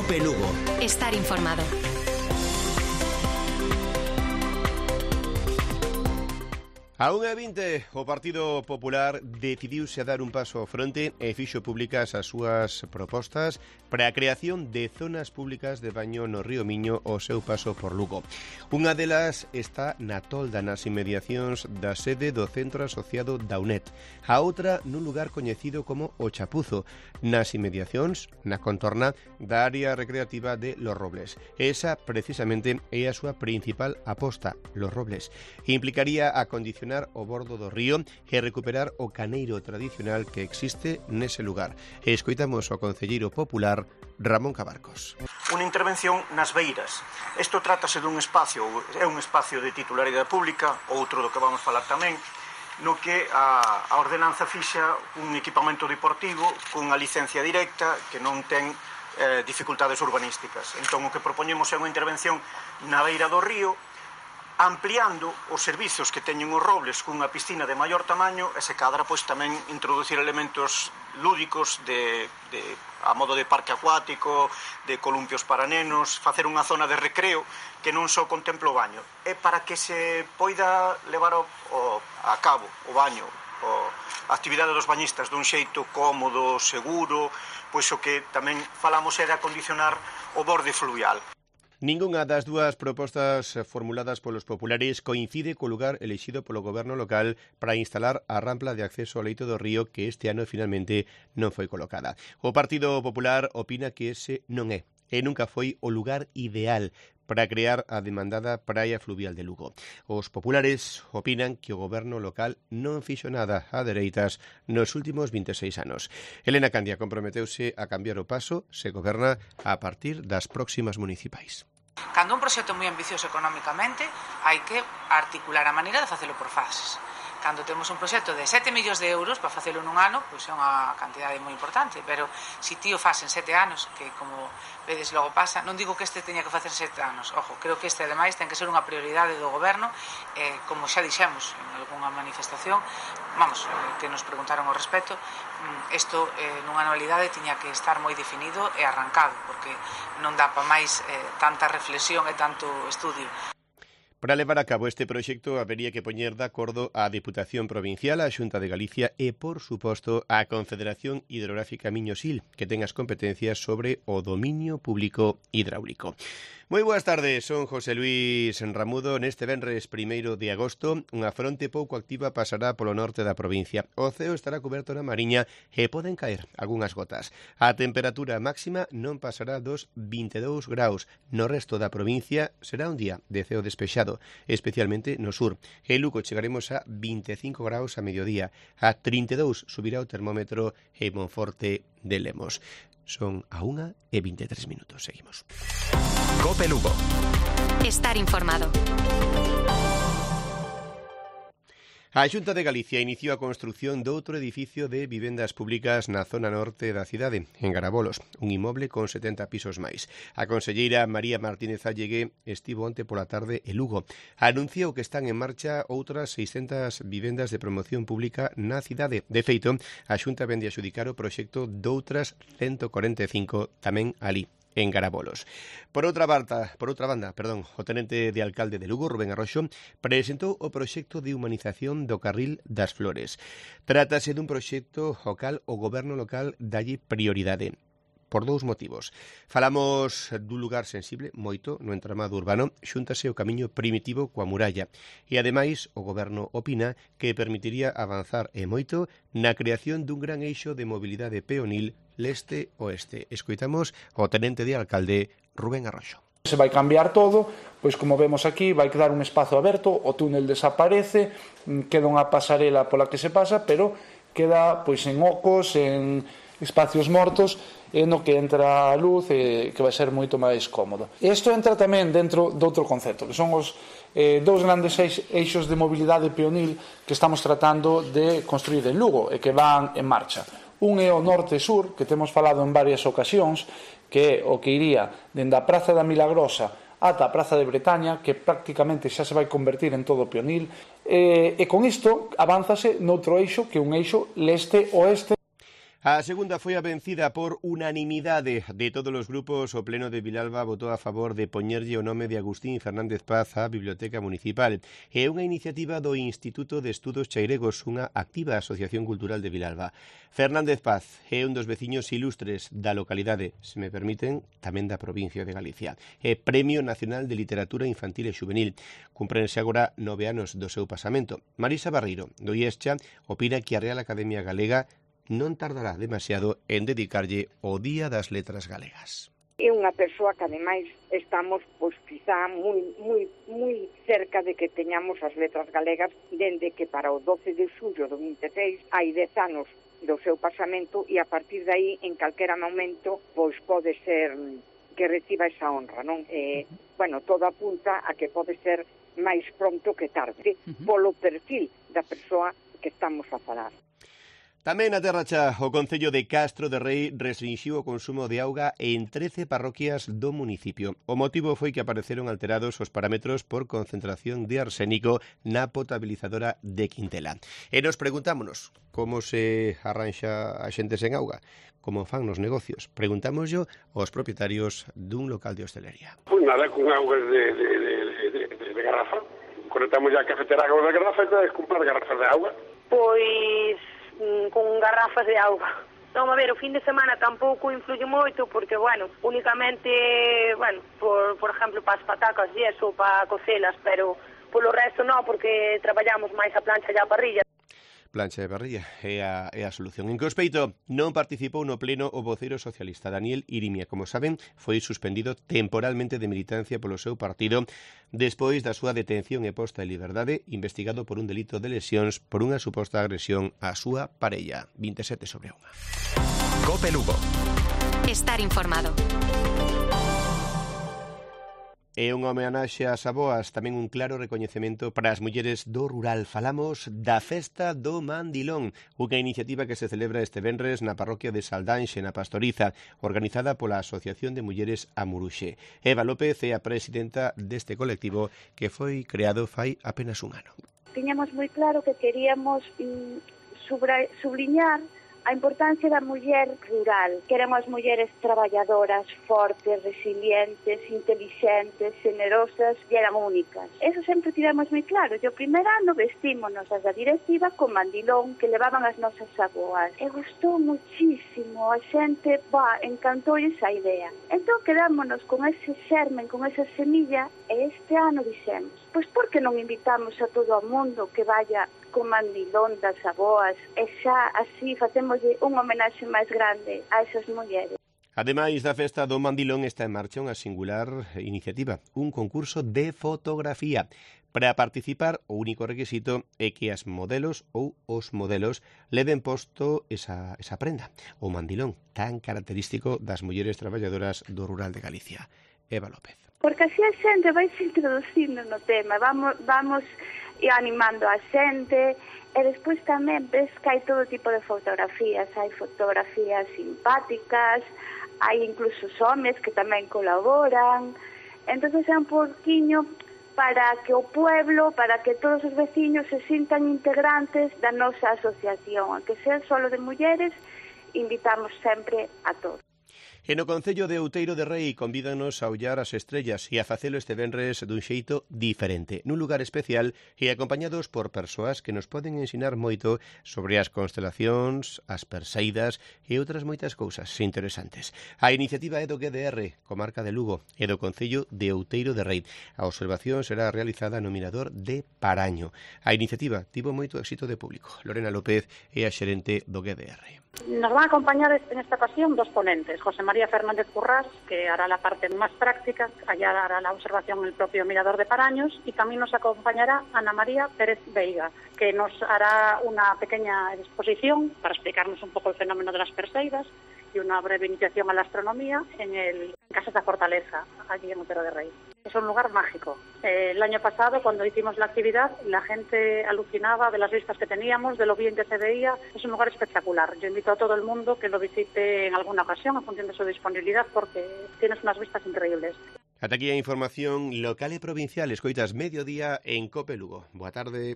Cope Lugo. Estar informado. A 1:20, o Partido Popular decidiuse a dar un paso ao fronte e fixo públicas as súas propostas para a creación de zonas públicas de baño no río Miño ao seu paso por Lugo. Unha delas está na Tolda, nas inmediacións da sede do Centro Asociado da UNED. A outra nun lugar coñecido como O Chapuzo, nas inmediacións, na contorna da área recreativa de Los Robles. Esa, precisamente, é a súa principal aposta, Los Robles. Implicaría acondicionar o bordo do río e recuperar o caneiro tradicional que existe nese lugar. E escoitamos ao concelleiro popular Ramón Cabarcos. Unha intervención nas beiras. Isto trátase dun espacio, é un espacio de titularidade pública, outro do que vamos falar tamén, no que a ordenanza fixa un equipamento deportivo cunha licencia directa que non ten dificultades urbanísticas. Entón o que propoñemos é unha intervención na beira do río, ampliando os servizos que teñen os Robles cunha piscina de maior tamaño e se cadra pois tamén introducir elementos lúdicos a modo de parque acuático, de columpios para nenos, facer unha zona de recreo que non só contempla o baño. E para que se poida levar a cabo o baño, a actividade dos bañistas dun xeito cómodo, seguro, pois o que tamén falamos é de acondicionar o borde fluvial. Ningunha das dúas propostas formuladas polos populares coincide co lugar elixido polo goberno local para instalar a rampla de acceso ao leito do río que este ano finalmente non foi colocada. O Partido Popular opina que ese non é e nunca foi o lugar ideal para crear a demandada praia fluvial de Lugo. Os populares opinan que o goberno local non fixo nada a dereitas nos últimos 26 anos. Elena Candia comprometeuse a cambiar o paso se goberna a partir das próximas municipais. Cando un proxecto moi ambicioso económicamente, hai que articular a maneira de facelo por fases. Cando temos un proxecto de 7 millóns de euros para facelo nun ano, pois é unha cantidade moi importante, pero se ti o faz en 7 anos, que como vedes logo pasa, non digo que este teña que facer 7 anos, ojo, creo que este ademais ten que ser unha prioridade do goberno, como xa dixemos en algunha manifestación, que nos preguntaron ao respecto, isto nunha anualidade tiña que estar moi definido e arrancado, porque non dá para máis tanta reflexión e tanto estudio. Para levar a cabo este proxecto habería que poñer de acordo a Deputación Provincial, a Xunta de Galicia e, por suposto, a Confederación Hidrográfica Miño-Sil, que ten as competencias sobre o dominio público hidráulico. Moi boas tardes, son José Luis Ramudo. Neste venres 1 de agosto, unha fronte pouco activa pasará polo norte da provincia. O ceo estará coberto na Mariña e poden caer algunhas gotas. A temperatura máxima non pasará dos 22 graus. No resto da provincia será un día de ceo despexado, especialmente no sur. En Lugo chegaremos a 25 graus a mediodía. A 32 subirá o termómetro en Monforte de Lemos. Son a 1:23. Seguimos. Cope Lugo. Estar informado. A Xunta de Galicia iniciou a construción doutro edificio de vivendas públicas na zona norte da cidade, en Garabolos, un inmoble con 70 pisos máis. A conselleira María Martínez Allegué estivo onte pola tarde en Lugo. Anunciou que están en marcha outras 600 vivendas de promoción pública na cidade. De feito, a Xunta vende a xudicar o proxecto doutras 145 tamén ali, en Garabolos. Por outra banda, o tenente de alcalde de Lugo, Rubén Arroxo, presentou o proxecto de humanización do Carril das Flores. Trátase dun proxecto ao cal o goberno local dalle prioridade. Por dous motivos. Falamos dun lugar sensible, moito, no entramado urbano, xúntase o camiño primitivo coa muralla. E, ademais, o goberno opina que permitiría avanzar e moito na creación dun gran eixo de mobilidade peonil leste-oeste. Escoitamos o tenente de alcalde, Rubén Arroxo. Se vai cambiar todo, pois como vemos aquí, vai quedar un espazo aberto, o túnel desaparece, queda unha pasarela pola que se pasa, pero queda pois en ocos, en espacios mortos, no que entra a luz e que vai ser moito máis cómodo. Isto entra tamén dentro de outro concepto, que son os dous grandes eixos de mobilidade peonil que estamos tratando de construir en Lugo e que van en marcha. Un é o norte-sur, que temos falado en varias ocasións, que é o que iría dende a Praza da Milagrosa ata a Praza de Bretaña, que prácticamente xa se vai convertir en todo peonil, e con isto avánzase noutro eixo, que é un eixo leste-oeste. A segunda foi a vencida por unanimidade de todos os grupos. O Pleno de Vilalba votou a favor de poñerlle o nome de Agustín Fernández Paz á Biblioteca Municipal. É unha iniciativa do Instituto de Estudos Chairegos, unha activa asociación cultural de Vilalba. Fernández Paz é un dos veciños ilustres da localidade, se me permiten, tamén da provincia de Galicia. É Premio Nacional de Literatura Infantil e Xuvenil. Cumprense agora 9 anos do seu pasamento. Marisa Barreiro, do IESCHA, opina que a Real Academia Galega non tardará demasiado en dedicarlle o Día das Letras Galegas. É unha persoa que ademais estamos quizá moi cerca de que teñamos as letras galegas, dende que para o 12 de xullo do 26 hai 10 anos do seu pasamento, e a partir de aí en calquera momento pode ser que reciba esa honra, non? Todo apunta a que pode ser máis pronto que tarde, polo perfil da persoa que estamos a falar. Tamén na Terra Cha, o Concello de Castro de Rei restrinxiu o consumo de auga en 13 parroquias do municipio. O motivo foi que apareceron alterados os parámetros por concentración de arsénico na potabilizadora de Quintela. E nos preguntámonos como se arranxa a xente sen auga, como fan nos negocios. Preguntámoslo aos propietarios dun local de hostelería. Pois nada, con augas de garrafa. Conectamos ya a cafetera con garrafa e tedes comprar garrafas de auga. Pois con garrafas de auga. Vamos a ver, o fin de semana tampouco influye moito porque, únicamente, por exemplo, para as patacas e eso, para cocelas, pero polo resto non, porque traballamos máis a plancha e a parrilla. Plancha de parrilla é a solución. En Cospeito non participou no pleno o voceiro socialista Daniel Irimia. Como saben, foi suspendido temporalmente de militancia polo seu partido despois da súa detención e posta en liberdade, investigado por un delito de lesións por unha suposta agresión á súa parella. 27/1. COPE Lugo. Estar informado. É unha homenaxe ás avoas, tamén un claro recoñecemento para as mulleres do rural. Falamos da Festa do Mandilón, unha iniciativa que se celebra este venres na parroquia de Saldanxe, na Pastoriza, organizada pola Asociación de Mulleres Amuruxe. Eva López é a presidenta deste colectivo que foi creado fai apenas un ano. Tiñamos moi claro que queríamos subliñar a importancia da muller rural, que eran as mulleres traballadoras, fortes, resilientes, inteligentes, generosas e eran únicas. Eso sempre tivemos moi claro. E o primer ano vestímonos as da directiva con mandilón que levaban as nosas avoas. E gustou muchísimo, a xente, encantou esa idea. Entón quedámonos con ese xermen, con esa semilla, e este ano dixemos, pois por que non invitamos a todo o mundo que vaya con mandilón das avoas e xa así facemos unha homenaxe máis grande a esas mulleres. Ademais da Festa do Mandilón está en marcha unha singular iniciativa, un concurso de fotografía. Para participar, o único requisito é que as modelos ou os modelos leven posto esa prenda, o mandilón, tan característico das mulleres traballadoras do rural de Galicia. Eva López. Porque así a xente vai se introducindo no tema, vamos animando a xente, e despois tamén ves que hai todo tipo de fotografías, hai fotografías simpáticas, hai incluso homes que tamén colaboran, entonces é un pouquiño para que o pueblo, para que todos os veciños se sintan integrantes da nosa asociación, que sea solo de mulleres, invitamos sempre a todos. E no Concello de Outeiro de Rei convídanos a ollar as estrellas e a facelo este venres dun xeito diferente, nun lugar especial e acompañados por persoas que nos poden ensinar moito sobre as constelacións, as perseidas e outras moitas cousas interesantes. A iniciativa é do GDR, comarca de Lugo, e do Concello de Outeiro de Rei. A observación será realizada no Mirador de Paraño. A iniciativa tivo moito éxito de público. Lorena López é a xerente do GDR. Nos van a acompañar en esta ocasión dos ponentes, José María Fernández Currás, que hará la parte más práctica, allá hará la observación en el propio Mirador de Paraños, y también nos acompañará Ana María Pérez Veiga, que nos hará una pequeña exposición para explicarnos un poco el fenómeno de las perseidas y una breve iniciación a la astronomía en Casas da Fortaleza, allí en Outeiro de Rei. Es un lugar mágico. El año pasado, cuando hicimos la actividad, la gente alucinaba de las vistas que teníamos, de lo bien que se veía. Es un lugar espectacular. Yo invito a todo el mundo que lo visite en alguna ocasión, en función de su disponibilidad, porque tienes unas vistas increíbles. Ata aquí a información local e provincial. Escoitas Mediodía en COPE Lugo. Boa tarde.